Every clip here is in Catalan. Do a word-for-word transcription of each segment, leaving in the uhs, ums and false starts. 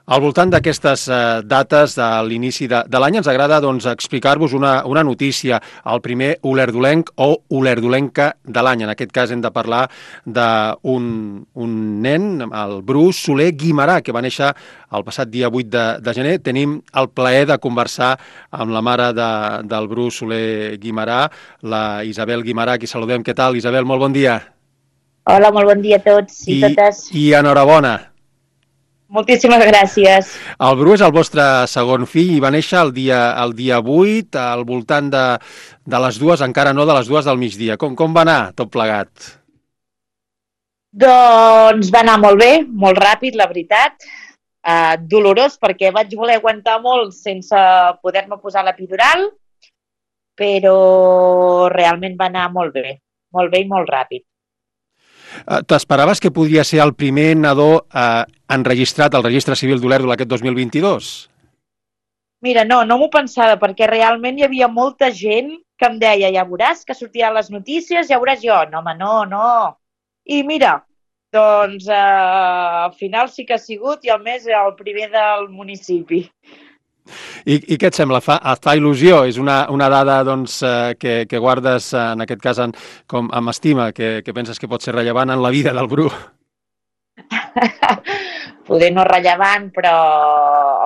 Al voltant d'aquestes eh, dates de l'inici de, de l'any ens agrada doncs, explicar-vos una, una notícia, el primer olerdolenc o olerdolenca de l'any. En aquest cas hem de parlar d'un un nen, el Bru Soler Guimarà, que va néixer el passat dia vuit de, de gener. Tenim el plaer de conversar amb la mare de, del Bru Soler Guimarà, la Isabel Guimarà, qui saludem. Què tal, Isabel? Molt bon dia. Hola, molt bon dia a tots i I, totes. i enhorabona. Moltíssimes gràcies. El Bru és el vostre segon fill i va néixer el dia, el dia vuit, al voltant de, de les dues, encara no de les dues del migdia. Com, com va anar tot plegat? Doncs va anar molt bé, molt ràpid, la veritat. Uh, dolorós perquè vaig voler aguantar molt sense poder-me posar l'epidural, però realment va anar molt bé, molt bé i molt ràpid. T'esperaves que podria ser el primer nadó eh, enregistrat al Registre Civil d'Olèrdola aquest dos mil vint-i-dos? Mira, no, no m'ho pensava perquè realment hi havia molta gent que em deia, ja veuràs que sortiran les notícies, ja veuràs jo. No, home, no, no. I mira, doncs eh, al final sí que ha sigut i a més el primer del municipi. I, i què et sembla? Fa, et fa il·lusió? És una, una dada doncs, eh, que, que guardes, eh, en aquest cas, en, com, amb estima, que, que penses que pot ser rellevant en la vida del Bru? Poder no rellevant, però,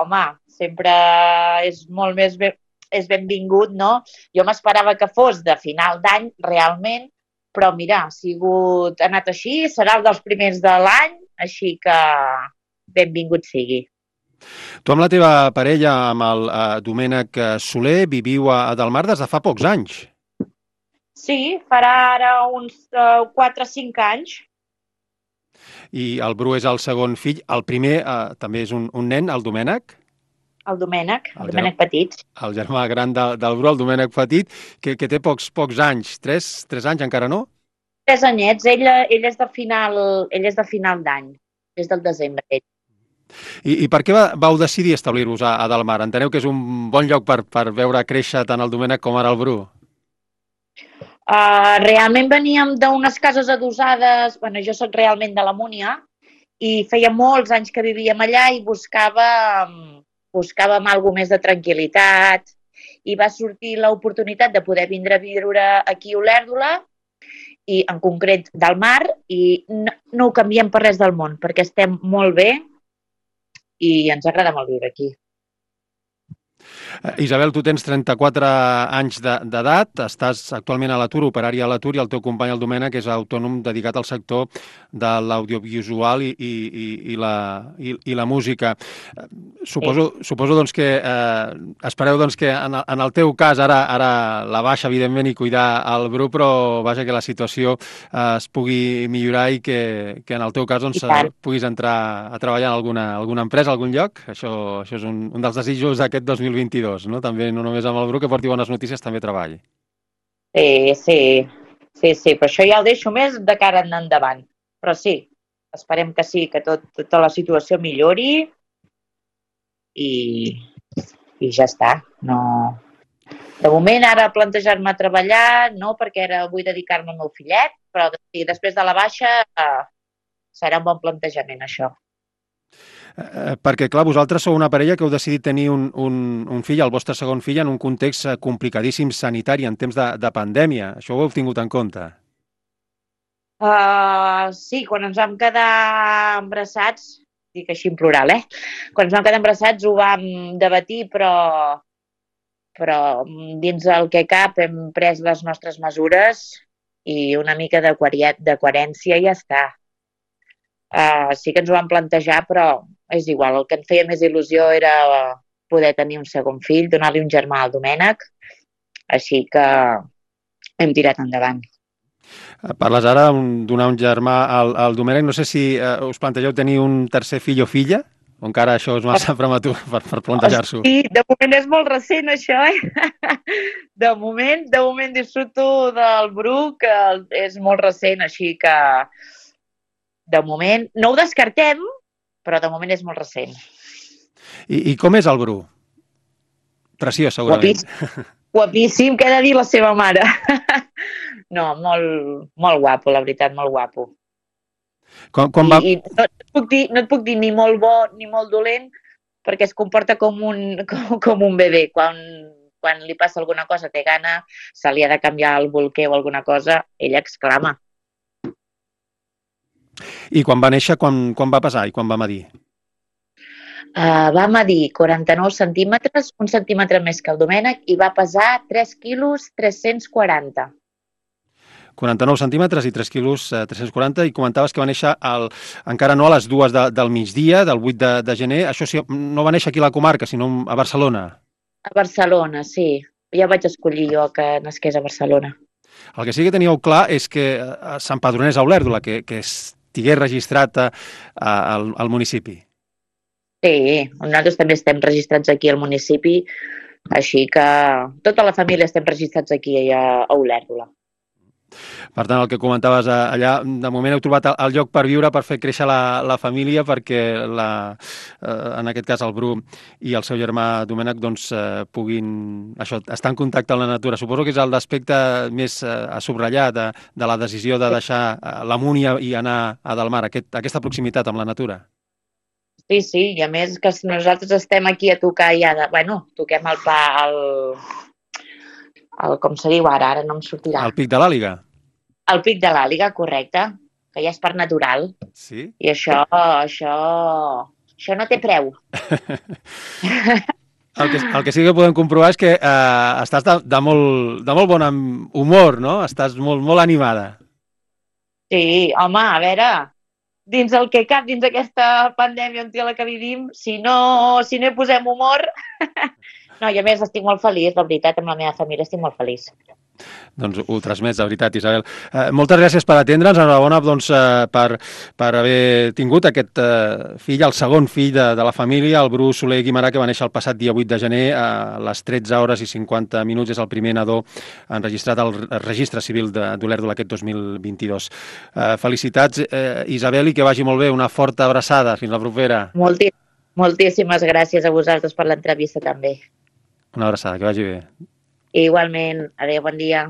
home, sempre és molt més ben, és benvingut, no? Jo m'esperava que fos de final d'any, realment, però mira, ha sigut, ha anat així, serà el dels primers de l'any, així que benvingut sigui. Tu amb la teva parella, amb el eh, Domènec Soler, viviu a, a Delmar des de fa pocs anys. Sí, farà ara uns uh, quatre o cinc anys. I el Bru és el segon fill. El primer eh, també és un, un nen, el Domènec. El Domènec, el, el Domènec Petit. El germà gran de, del Bru, el Domènec Petit, que, que té pocs, pocs anys. Tres, tres anys encara no? Tres anyets. Ell, ell és de final, ell és de final d'any. És del desembre, ell. I, i per què va, vau decidir establir-vos a, a Delmar? Enteneu que és un bon lloc per, per veure créixer tant el Domènec com ara el Bru? Uh, realment veníem d'unes cases adossades, bueno, jo soc realment de la Múnia, i feia molts anys que vivíem allà i buscàvem, buscàvem alguna més de tranquil·litat, i va sortir l'oportunitat de poder vindre a viure aquí a Olèrdola, i en concret Delmar, i no, no ho canviem per res del món, perquè estem molt bé i ens agrada molt viure aquí. Isabel, tu tens trenta-quatre anys d'edat, estàs actualment a l'atur, operari a l'atur, i el teu company, el Domènec, és autònom dedicat al sector de l'audiovisual i, i, i, la, i, i la música. Suposo, sí. suposo doncs, que eh, espereu doncs, que en, en el teu cas ara, ara la baixa, evidentment, i cuidar el Bru, però vaja, que la situació eh, es pugui millorar i que, que en el teu cas doncs, puguis entrar a treballar en alguna, alguna empresa, algun lloc. Això, això és un, un dels desitjos d'aquest dos mil vint-i-dos, no? També, no només amb el Bru, que porti bones notícies, també treball. Sí, sí, sí, sí, però això ja ho deixo més de cara endavant. Però sí, esperem que sí, que tot, tota la situació millori i, i ja està. No... De moment, ara plantejar-me a treballar, no, perquè ara vull dedicar-me al meu fillet, però després de la baixa eh, serà un bon plantejament, això. Eh, perquè, clar, vosaltres sou una parella que heu decidit tenir un, un, un fill, el vostre segon fill, en un context complicadíssim sanitari, en temps de, de pandèmia. Això ho heu tingut en compte? Uh, sí, quan ens vam quedar embarassats, dic així en plural, eh? Quan ens vam quedar embarassats ho vam debatir, però, però dins del que cap hem pres les nostres mesures i una mica de, de coherència i ja està. Uh, sí que ens ho vam plantejar, però és igual, el que em feia més il·lusió era poder tenir un segon fill, donar-li un germà al Domènec, així que hem tirat endavant. Parles ara de donar un germà al, al Domènec, no sé si eh, us plantegeu tenir un tercer fill o filla, o encara això és massa prematur per, per plantejar-s'ho? Sí, de moment és molt recent això, eh? De moment, de moment disfruto del Bru, que és molt recent, així que de moment no ho descartem, però de moment és molt recent. I, i com és el Bru? Preciós, segurament. Guapíssim, guapíssim, què ha de dir la seva mare? No, molt, molt guapo, la veritat, molt guapo. Com, com va... I, i no, et puc dir, no et puc dir ni molt bo ni molt dolent, perquè es comporta com un, com, com un bebè. Quan, quan li passa alguna cosa, té gana, se li ha de canviar el bolquer o alguna cosa, ella exclama. I quan va néixer, quan, quan va pesar i quan va medir? Uh, va medir quaranta-nou centímetres, un centímetre més que el Domènec, i va pesar tres quilos tres-cents quaranta. quaranta-nou centímetres i tres quilos eh, tres-cents quaranta, i comentaves que va néixer el, encara no a les dues de, del migdia, del vuit de, de gener. Això sí, no va néixer aquí a la comarca, sinó a Barcelona. A Barcelona, sí. Ja vaig escollir jo que nasqués a Barcelona. El que sí que teníeu clar és que s'empadronés a Olèrdola, que, que estigués registrat a, a, al, al municipi. Sí, nosaltres també estem registrats aquí al municipi, així que tota la família estem registrats aquí a, a Olèrdola. Per tant, el que comentaves allà, de moment heu trobat el lloc per viure, per fer créixer la, la família, perquè la, eh, en aquest cas el Bru i el seu germà Domènec doncs, eh, puguin això, estar en contacte amb la natura. Suposo que és l'aspecte més eh, a subratllar de, de la decisió de deixar l'Amunt i, i anar a Delmar, aquest, aquesta proximitat amb la natura. Sí, sí, i a més que nosaltres estem aquí a tocar ja, de, bueno, toquem el pa, el, el, com se diu ara, ara no em sortirà. El Pic de l'Àliga. El Pic de l'Àliga, correcte, que ja és parc natural. Sí? I això, això, això no té preu. El que, el que sí que podem comprovar és que eh, estàs de, de, molt, de molt bon humor, no? Estàs molt, molt animada. Sí, home, a veure, dins el que cap, dins aquesta pandèmia en la que vivim, si no, si no hi posem humor... No, i a més estic molt feliç, la veritat, amb la meva família estic molt feliç. Doncs ho transmets, de veritat, Isabel. Eh, moltes gràcies per atendre'ns, enhorabona doncs, eh, per, per haver tingut aquest eh, fill, el segon fill de, de la família, el Bru Soler Guimarà, que va néixer el passat dia vuit de gener a les tretze hores i cinquanta minuts. És el primer nadó enregistrat al registre civil d'Olèrdola aquest dos mil vint-i-dos. Eh, felicitats, eh, Isabel, i que vagi molt bé. Una forta abraçada. Fins la propera. Molti, moltíssimes gràcies a vosaltres per l'entrevista també. Una abraçada, que vagi bé. Igualment. Adéu, bon dia.